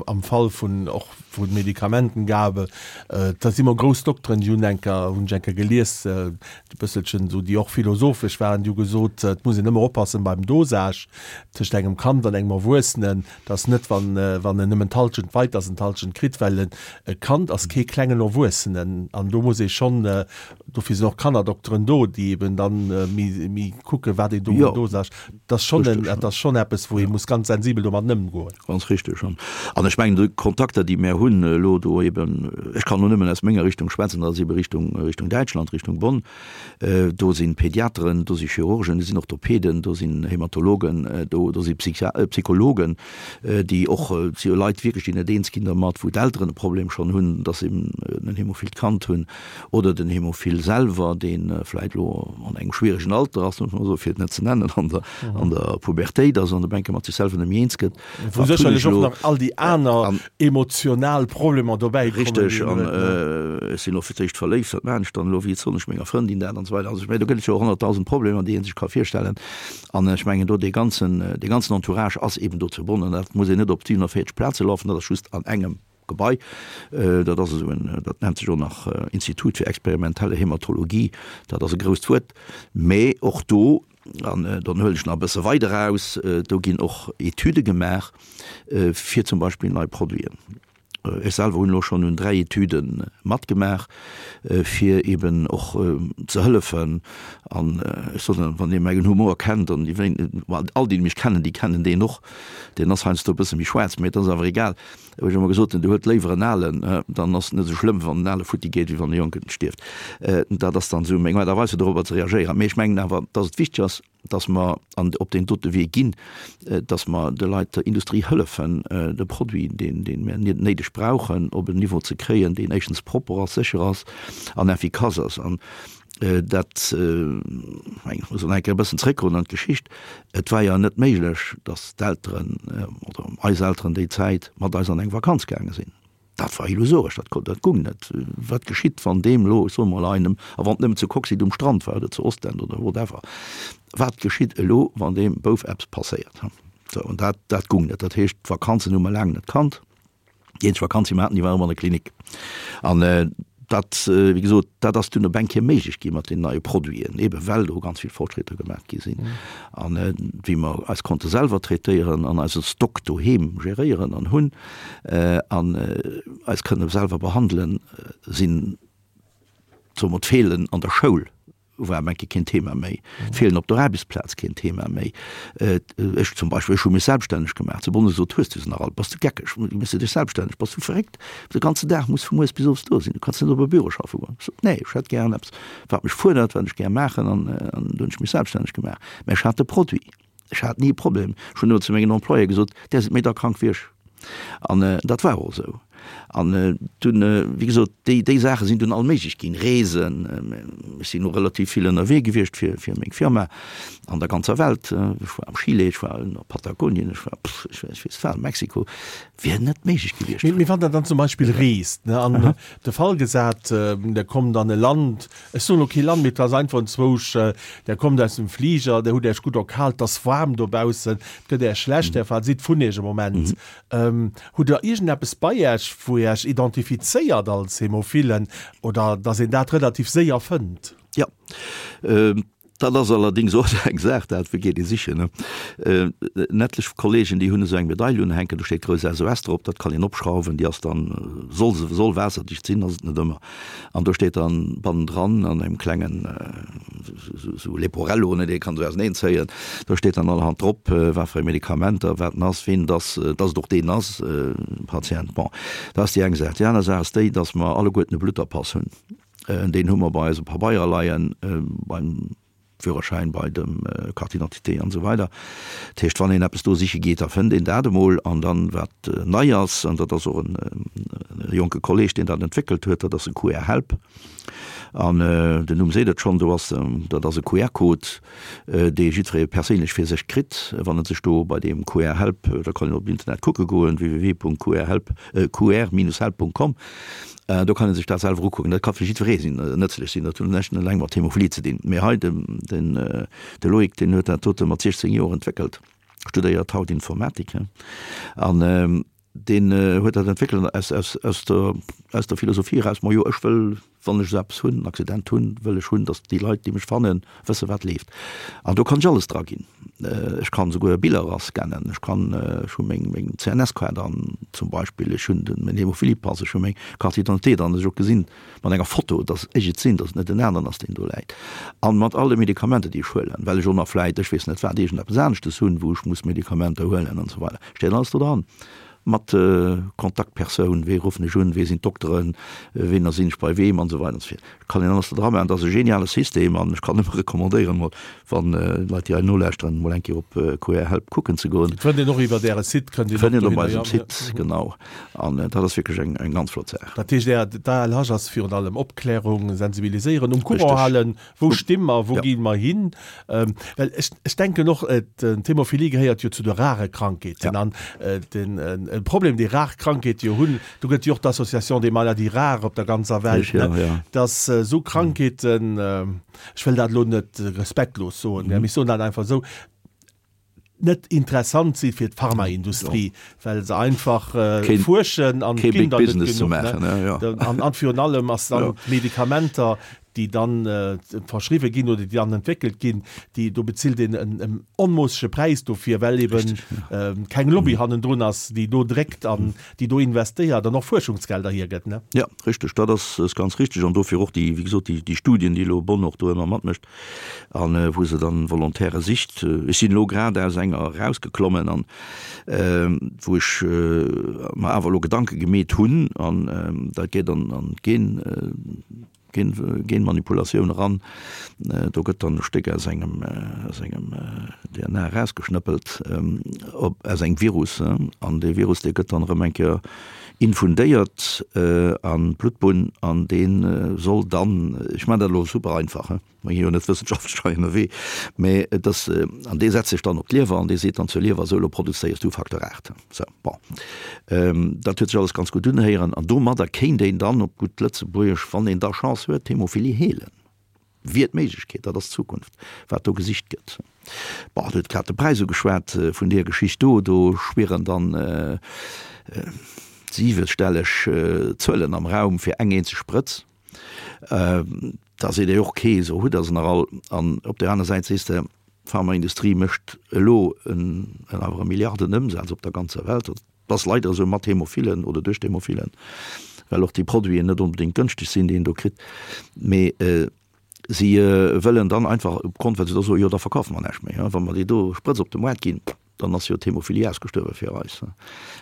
am Fall vun och vu Medikamentengabe, da si mer grouss Dokteren, déi hunn eng Kéier, hunn ech eng Kéier gelies, e bësselchen esou, déi och philosophesch waren, déi hu gesot, et muss een ëmmer oppassen beim Dosage tëscht engem Kand an engem Erwuessenen, datt net, wann, wann en nëmmen d'Halschent weit, datt en d'Halschent kritt, well e Kand ass kee klengen Erwuessenen an do muss ee schonn Dofir sinn och Kannerdokteren do, déi eben dann méi, méi kucken, wat een do un Dosage. Dat ass schonn en, dat ass schonn eppes, wou ee muss ganz sensibel domat ëmgoen. Ganz richteg. An, an ech mengen, déi Kontakter, déi mär hunn elo do eben, ech kann elo nëmmen aus menger Richtung schwätzen, dat ass ebe Richtung, Richtung Däitschland, Richtung Bonn, do si Pediateren, do si Chirurgen, do sinn Orthopäden, do sinn Hämatologen, do, do si Psychia-, Psychologen, déi och, et si jo Leit wierklech, déi net eens ginn dermat, wou d'Elteren e Problem schonn hunn, dass se eben en hämophilt Kand hunn. Oder den Hämophil selwer, dee vläit elo an engem schwieregen Alter ass, muss man soen, fir et net ze nennen, an der, an der Pubertéit ass an op eng Kéier mat sech selwer net méi eens gëtt. Wou sécherlech och nach all déi aner emotional Problemer dobäi kommen. Richteg, an ech sinn och fir d'éischt verléift, wat maachen ech dann elo, wéi soen ech menger Frëndin dat an esou weider. Also ech mengen, do gëtt et jo 100.000 Problemer, déi ee sech ka virstellen. An ech mengen do dee ganzen, dee ganzen Entourage ass eben do ze bonnen. Dat muss een net op 47 Plaze lafen, dat ass just an engem. Gebai. Dat ass esou en, dat nennt sech och nach Institut fir experimentelle Hämatologie, dat ass e grousst Wuert, mä och do, an dann huelen ech nach e bësse weider aus, do ginn och Etüde gemaach fir zum Beispill nei Produiten. Ech selwer hunn elo schonn un 3 Etüde matgemaach, fir eben och ze hëllefen. An ech soen, wann ee mäin Humor kennt, an déi wéi, all déi, déi mech kennen, déi kennen deen och, deen ass heiansdo e bësse méi schwaarz, mä et ass awer egal, Hu ech ëmmer gesot, du huet léiwer en Alen, dann ass et net esou schlëmm, wann en Ale futti geet, wéi wann e Jonken stierft. Dat ass dann esou meng Aart a Weis, fir dorobber ze reagéieren. Mee ech mengen awer, dass et wichteg ass, dass mer an op deen dote Wee ginn, dass mer de Leit, der Industrie hëllefen, de Produit, deen, deen mir néideg brauchen, op en Niveau ze kréien, deen éischtens propper ass, sécher ass an effikass ass. An dat, ech muss nach eng Kéier e bëssen zréckgoen an d'Geschicht, et war jo net méiglech, datt d'Elteren oder eis Elteren déi Zäit mat eis an eng Vakanz gaange sinn. Dat war illusoresch, dat konnt, dat gung net. Wat geschitt, wann deem elo, ech soe mol einem, a wann et nëmmen zu Coxyde um Strand war oder zu Ostend oder whatever, wat geschitt elo, wann deem Bouf eppes passéiert? Sou, an dat, dat gung net. Dat heescht, d'Vakanzen hu mer laang net kannt. Déi eenzeg Vakanz, déi mer haten, déi war ëmmer an der Klinik. An dat, wéi gesot, dat ass dunn op eng Kéier méiglech gi mat den neie Produiten, eebe well do ganz vill Fortschritter gemaach gi sinn. An wéi mer eis konnte selwer traitéieren an eise Stock doheem geréieren an hunn an eis kënne selwer behandelen, sinn, soe mer, d'Feelen an der Schoul war eng Kéier keen Thema méi. D'Feelen op der Aarbechtsplaz keen Thema méi. Ech zum Beispill, ech hu mech selbststänneg gemaach. Zu Bonn gesot, Hues du se nach all? Bass du geckeg? Méchs du dech selbststänneg? Bass du verréckt? De ganzen Dag muss vu mueres bis owes do sinn. Du kanns net op e Büro schaffe goen. Ech sot, Nee, ech hätt gären eppes, wat mech fuerdert, wat ech gär maachen. An du hunn ech mech selbststänneg gemaach. Mä ech hat de Produit. Ech hat ni e Problem. Ech hunn ëmmer zu mengen Employéë gesot, Där sidd méi da krank wéi ech. An dat war och esou. An dunn, wéi gesot, déi, déi Saache sinn dunn all méiglech ginn. Reesen, ech sinn och relativ vill ënnerwee gewiescht fir, fir meng Firma an der ganzer Welt. Ech war am Chile, ech war a Patagonien, ech war, pff, ech weess wat, Mexiko. Wier net méiglech gewiescht. Mee wann Der dann zum Beispill reest, ne, an de Fall gesat, Der kommt an e Land, Ech soen elo kee Land, mee et ass einfach enzwousch, Der kommt aus dem Fliger, der hutt Äech gutt erkalt, et ass waarm dobaussen, et gëtt Äech schlecht, Där sidd vun Iech e Moment. Hutt Der iergendeppes bei Äech, wou Dir Äech identifizéiert als Hämophilen oder dass een dat relativ séier fënnt? Jo. Dat ass allerdings och eng Saach, dat geet ee sichen, ne? En etlech Kollegen, déi hunn esou eng Medail unhänken, do steet grouss SOS drop, dat kann een opschrauwen, déi ass dann, soll se, soll waasserdicht sinn, ass et net ëmmer. An do steet dann bannendran an engem klengen esou Leporello, ne, dee kann esou auseneen zéien, do steet dann allerhand drop, wat fir eng Medikamenter, wat en ass, ween et ass, dass et och deen ass, Patient. Bon, dat ass déi eng Saach. Déi aner Saach ass déi, dass mer alleguerten e Blutterpass hunn. Deen hu mer bei eise Pabeier leien, beim Führerschäin, bei dem Carte d'identité an esou weider. Dat heescht, wann een eppes do siche geet, da fënnt een dat emol. An dann, wat nei ass, an dat ass och e jonke Kolleg, deen dat entwéckelt huet, dat ass e QR-Help. An den Numm seet et schonn, do ass, dat ass e QR-Code, dee jiddweree perséinlech fir sech kritt, wann en sech do bei deem QR-Help, da kann een op Internet kucke goen, www.qrhelp, qr-help.com. Do kann ee sech dat selwer ukucken. Dat ka fir jiddweree sinn, nëtzlech sinn. Dat huet näischt eleng mat Hämophilie ze dinn. Mee hei den, den, de Loïc, deen huet dat dote mat 16 Joer entwéckelt, studéiert haut Informatik, an deen huet dat entwéckelt aus, aus, aus der, aus der Philosophie eraus, Majo, ech wëll Wann ech esou eppes hunn, en Accident hunn, wëll ech hunn, datt déi Leit, déi mech fannen, wësse wat leeft. An do kann ech alles dra ginn. Ech kann esouguer Biller erascannen, ech kann, ech hu meng, meng CNS-Kaart an zum Beispill, ech hunn den, mäin Hämophiliepass, ech hu meng Carte d'identité dran, datt ech och gesinn, mat enger Foto, datt ech et sinn, datt et net en aneren ass, deen do läit. An mat all de Medikamenter, déi ech huelen, well ech och nach vläit, ech weess net wat, iergendeppes aneschtes hunn, wou ech muss Medikamenter huelen an esou weider, steet alles do dran. Mat Kontaktpersoun, wee ruffen ech un, wee sinn d'Dokteren, ween sinn ech bei weem an esou weider an esou fort. Kann een alles do dra maachen. Dat ass e geniale System an ech kann nëmme recommandéieren, mol, wann Leit déi hei nolauschteren, mol eng Kéier op QR Help kucken ze goen. Et fënnt een och iwwert Äre Site, kënnt een och dohinner, jo. Fënnt een op eisem Site, genau. An dat ass wierklech eng eng ganz flott Saach. Dat heescht, Är, d'ALH ass virun allem Opklärung, Sensibiliséieren, um Courant halen, Wou sti mer, wou gi mer hin? Well ech, ech denken och, d'Hämophilie gehéiert jo zu de rare Krankheeten. An den Problem, dee rar Krankheete jo hunn, do gëtt jo och d'Association des maladies rares op der ganzer Welt, ne, dass esou Krankheeten, ech wëll dat elo net respektlos soen, mä ech soen dat einfach esou, net interessant si fir d'Pharmaindustrie, well se einfach fuerschen an et ginn der net genuch. An virun allem ass dann d'Medikamenter, déi dann verschriwwe ginn oder déi dann entwéckelt ginn, déi do bezilt een en onmoossege Präis dofir, well eben keng Lobby hannendrun ass, déi do dréckt an déi do investéiert an och Fuerschungsgelder hiergëtt. Jo, richteg, dat ass ganz richteg. An dofir och déi, wéi gesot, déi Studien, déi elo Bonn och do ëmmer matmécht, an wou se dann Volontaire sicht. Ech sinn elo grad aus enger erausgeklommen an wou ech mer awer elo Gedanke gemeet hunn an dat geet an an d'Gen Gen Genmanipulatioun eran. Do gëtt dann e Stéck aus engem aus engem DNA erausgeschnëppelt op aus engem Virus an dee Virus dee gëtt dann erëm eng Kéier infundéiert an d'Bluttbunn an dee soll dann, ech maachen dat elo super einfach, he, mer gi jo net wëssenschaftlech hei ënnerwee, mä et ass, an dee setzt sech dann op d'Liewer an dee seet dann zur Liewer, sou elo produzéiers du Facteur 8. Sou, bon, dat huet sech alles ganz gutt unhéieren an domadder kéint een dann op gutt Lëtzebuergesch, wann een da Chance huet, d'Hämophilie heelen. Wier d'Méiglechkeet, dat ass d'Zukunft, wat do gesicht gëtt. Bon, Dir hutt grad de Präis ugeschwat vun deer Geschicht do. Do schwieren dann siwestelleg Zuelen am Raum fir eng eenzeg Sprëtz. Da seet ee och, okay, esou hutt Der se nach all. An op där aner Säit sees de, d'Pharmaindustrie mécht elo en awer e Milliardenëmsaz op der ganzer Welt. Et ass leider esou mat Hämophilen oder duerch d'Hämophilen, well och déi Produiten net onbedéngt gënschteg sinn, déi een do kritt. Mee si wëllen dann einfach opgrond, well se da soen, jo da verkafe mer näischt méi, wa mer déi do Sprëtz op de Moart ginn, dann ass jo d'Hämophilie ausgestuerwe fir eis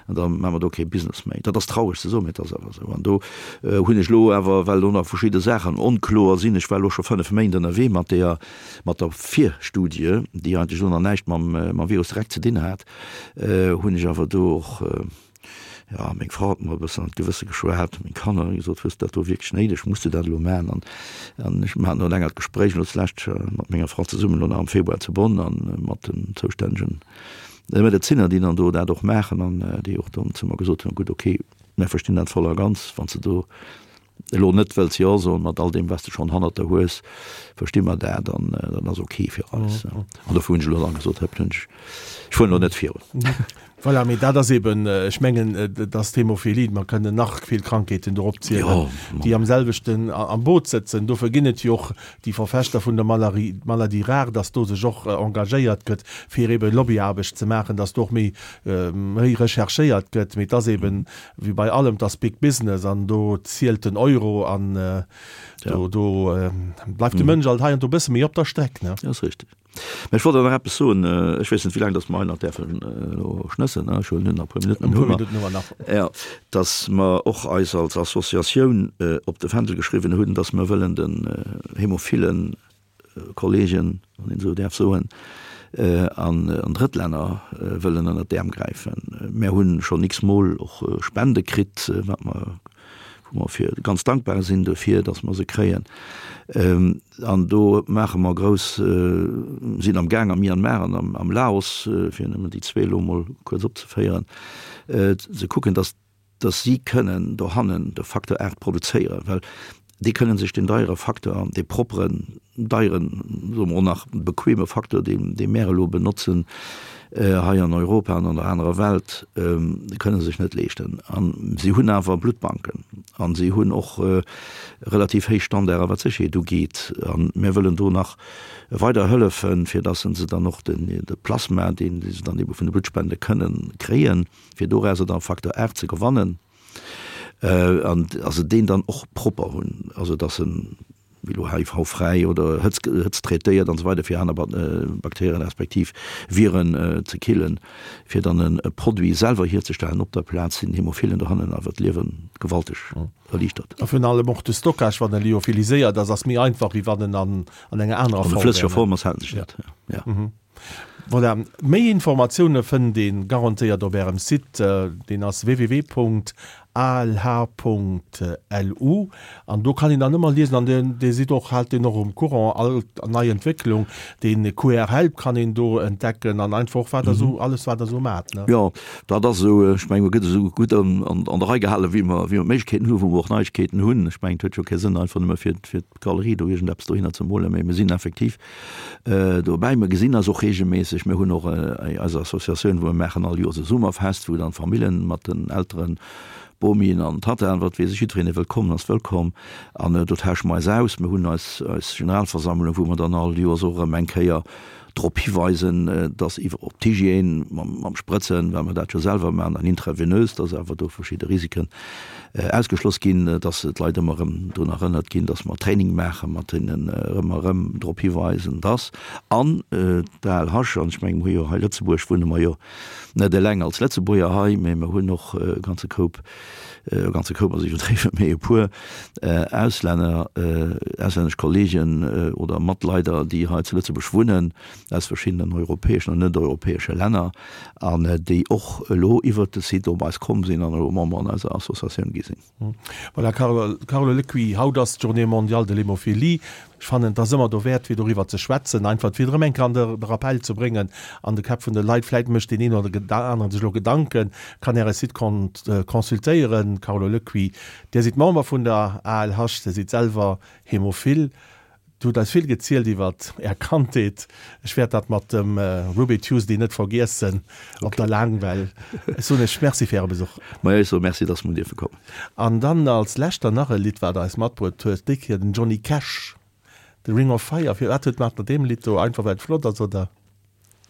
an da maache mer do kee Business méi. Dat ass traureg ze soen, mee et ass awer esou. An do hunn ech elo awer, well do nach verschidde Saachen onkloer sinn, ech war elo scho 5 Méint ënnerwee mat deeër, mat der Virstudie, déi eigentlech elo nach näischt mam Virus direkt ze dinn hat, hunn ech awer do och, jo, meng Frau huet mer e bëssen an d'Gewësse geschwat, meng Kanner hunn gesot, hues de dat do wierklech néideg, muss de dat elo maachen? An, an ech mir haten elo e längert Gespréich elo zulescht mat menger Frau zesummen elo nach am Februar zu Bonn a mat den zoustännegen Medezinner, déi dann do dat och maachen an déi och dann zu mer gesot hunn, gutt, okay, mir verstinn dat voll a ganz, wann s de do elo net wëlls Jo soen, mat all deem, wat s de schonn hannert der hues, versti mer dat an dat ass ok fir eis. An dofir hunn ech elo dann gesot, hëpp, hunn ech, ech fueren elo net virun. Voilà, mee dat ass eben, ech mengen, et ass d'Hämophilie, mer kënnen nach vill Krankheeten do opzielen, déi am selwechten am Boot sëtzen. Dofir ginn et jo och déi Verfechter vun der Malarie, Maladie rare, dass do sech och engagéiert gëtt, fir eben Lobbyaarbecht ze maachen, dass do och méi, méi recherchéiert gëtt. Mee et ass eben, Wéi bei allem, 't ass big business an do zielt den Euro an do do bleift de Mënsch alt hei an do bësse méi op der Streck, ne? Dat ass richteg. Mä ech wollt awer nach eppes soen, ech weess net, wéi laang datt mer hei nach däerfen elo schnëssen, ech huelen hunn nach e puer Minutten. E puer Minutten hu mer nach. Jo, datt mer och eis als Associatioun op de Fändel geschriwwen hunn, datt mer wëllen den Hämophilen Kollegen, wann een esou däerf soen, an Drëttlänner wëllen ënnert d'Äerm gräifen. Mär hunn schonn x-mol och Spende kritt, wat mer, wou mer fir ganz dankbar sinn dofir, datt mer se kréien. An do maache mer grouss, sinn am Gaang am Myanmar an am Laos, fir nëmmen déi zwee elo emol kuerz opzeféieren, ze kucken, datt. Dass si kënnen dohannen de Facteur 8 produzéieren, well déi kënnen sech deen deiere Facteur, dee propperen, deieren, soe mer och nach bequeme Facteur, deen, dee mär elo benotzen hei an Europa an an der anerer Welt, kënne sech net leeschten. A si hunn awer Bluttbanken a si hunn och relativ héich Standarde wat d'Sécherheet ugeet. A mär wëllen do nach weider hëllefen, fir dass se dann och den, de Plasma, deen se dann ebe vun de Bluttspende kënnen kréien, fir dorauser dann Facteur 8 ze gewannen, an also deen dann och propper hunn, also dass en wéi elo HIV-fräi oder Hëtz, hëtztraitéiert an esou weider fir aner Bakterien respektiv Viren ze killen, fir dann e Produit selwer hierzestellen op der Plaz, sinn Hämophilen dohannen awer d'Liewe gewalteg erliichtert. A virun allem och de Stockage, wann e lyophiliséiert ass, ass méi einfach wéi wann en an enger anerer Form wär. An e flësseger Form ass, hält en sech net, jo. Voilà, méi Informatioune fënnt een garantéiert op ärem Site, deen ass www.alh.lu an do kann een dann ëmmer liesen an dir sidd och, haalt deen och um Courant, all nei Entwécklung, deen QR Help kann een do entdecken an einfach och wat der esou, alles wat der esou maacht, ne? Jo, dat ass esou, ech mengen, mer gëtt esou gutt an der Rei gehalen, wéi mer, wéi mer d'Méiglechkeeten hunn, wou mer och Neiegkeeten hunn. Ech mengen, et huet jo kee Sënn einfach nëmme fir, fir d'Galerie do iergendeppes dohinner ze molen, mee mir sinn effektiv Dobäi, mer gesinn eis och reegelméisseg. Mir hunn och eis Associatioun, wou mer maachen all Joers e Summerfest, wou dann d'Famillen mat den Elteren, Bomien an Tanten, wat weess ech, jiddwereen dee wëllt kommen, ass wëllkomm. An do tausche mer eis aus. Mir hunn eis eis Generalversammlung, wou mer dann all Joers och erëm eng Kéier drop hiweisen, dass iwwer op d'Hygiène mam mam Sprëtzen, well mer dat jo selwer maachen an intravenös, dass awer do verschidde Risiken Ausgeschloss ginn, dass d'Leit ëmmer erëm drun erënnert ginn, dass mer Training maachen, mat hinnen erëm a erëm drop hiweisen, dass an d'ALH, an ech mengen, mer hu jo hei Lëtzebuerg, wunne mer jo net eleng als Lëtzebuerger hei, mä mer hunn och e ganze Koup, e ganze Koup ass iwwerdriwwen, mä e puer Auslänner, auslännesch Kollegen oder Matleider, déi hei zu Lëtzebuerg wunnen, aus verschiddenen europäeschen an net-europäesche Länner an déi och elo iwwert de Site op eis komm sinn an elo Member an eiser Associatioun gi sinn. Voilà, Carlo Lecuit, haut ass d'Journée mondiale de l'hémophilie. Ech fannen, et ass ëmmer dowäert, fir doriwwer ze schwätzen, einfach fir et erëm eng Kéier an de Rappell ze bréngen an de Käpp vun de Leit. Vläit mécht deen een oder aneren sech elo Gedanken, kann Äre Site consultéieren. Carlo Lecuit, Dir sidd Member vun der ALH, Dir sidd selwer Hémophil. Dir hutt eis vill gezielt iwwert Är Kandheet. Ech wäert dat mat dem Ruby Tuesday net vergiessen op der Laangwell. Ech soen Iech Merci fir Äre Besuch. Majo, ech soe Merci, dass mer dierfe kommen. An dann als lescht dann nach e Lidd, wat Der eis matbruet huet, déi Kéier den Johnny Cash, The Ring of Fire. Firwat huet mat deem Lidd do? Einfach well et flott ass, oder?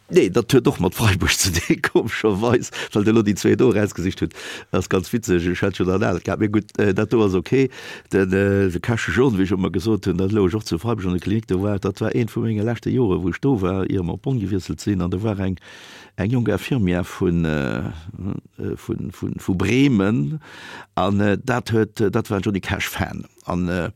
Nee, dat huet och mat Freiburg ze dinn, komescherweis, well Der elo déi zwee do erausgesicht hutt. Dat ass ganz witzeg, ech hat schonn an anert gehat. Mee gutt, dat do ass ok. Den de Käsche John, wéi ech ëmmer gesot hunn, dat louch och zu Freiburg an der Klinik. Do war, dat war eent vu menge leschte Joren, wou ech do war, ier mer op Bonn gewiesselt sinn. An do war eng, eng jonk Infirmière vun, vun, vun, vu Bremen an dat huet, dat war en Johnny Cash-Fan. An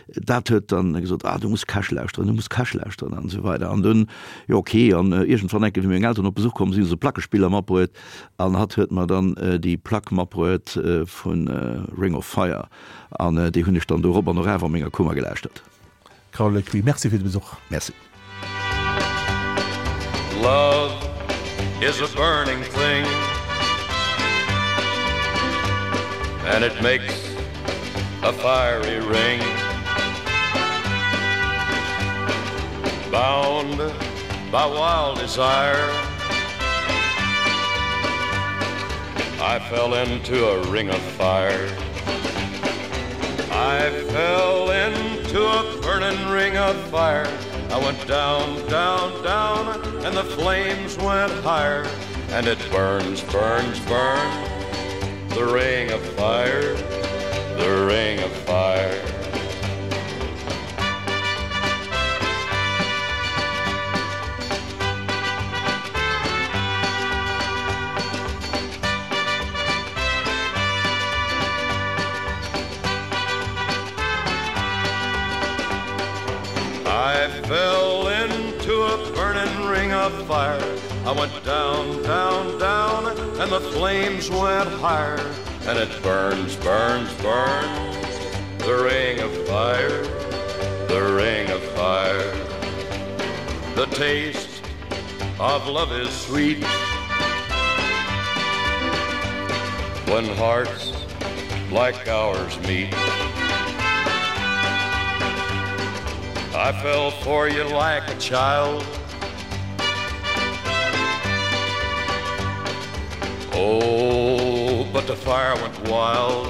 dat huet dann gesot, ah du muss Cash lauschteren, du muss Cash lauschteren an esou weider. An dunn, jo ok, an iergendwann enke wéi meng Elteren op Besuch komm sinn, hu se Plackespiller matbruet an hatt huet mer dann déi Plack matbruet vu Ring of Fire an déi hunn ech dann do erop an eraf a menger Kummer gelauschtert. Carole Lecuit, Merci fir de Besuch. Merci. Love is a burning thing And it makes a fiery ring Bound by wild desire I fell into a ring of fire I fell into a burning ring of fire I went down, down, down, and the flames went higher. And it burns, burns, burns, the ring of fire, the ring of fire. I fell into a burning ring of fire. I went down, down, down, and the flames went higher. And it burns, burns, burns, the ring of fire, the ring of fire. The taste of love is sweet. When hearts like ours meet. I fell for you like a child. Oh, but the fire went wild.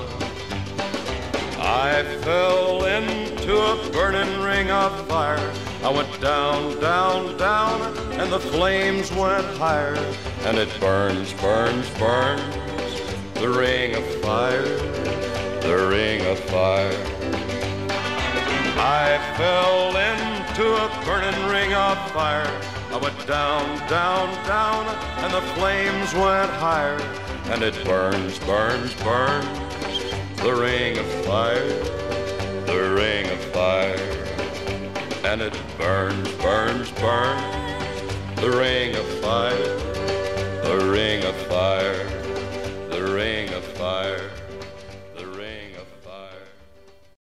I fell into a burning ring of fire. I went down, down, down, and the flames went higher. And it burns, burns, burns, the ring of fire, the ring of fire. I fell into a burning ring of fire. I went down, down, down, and the flames went higher. And it burns, burns, burns, the ring of fire, the ring of fire. And it burns, burns, burns, the ring of fire, the ring of fire.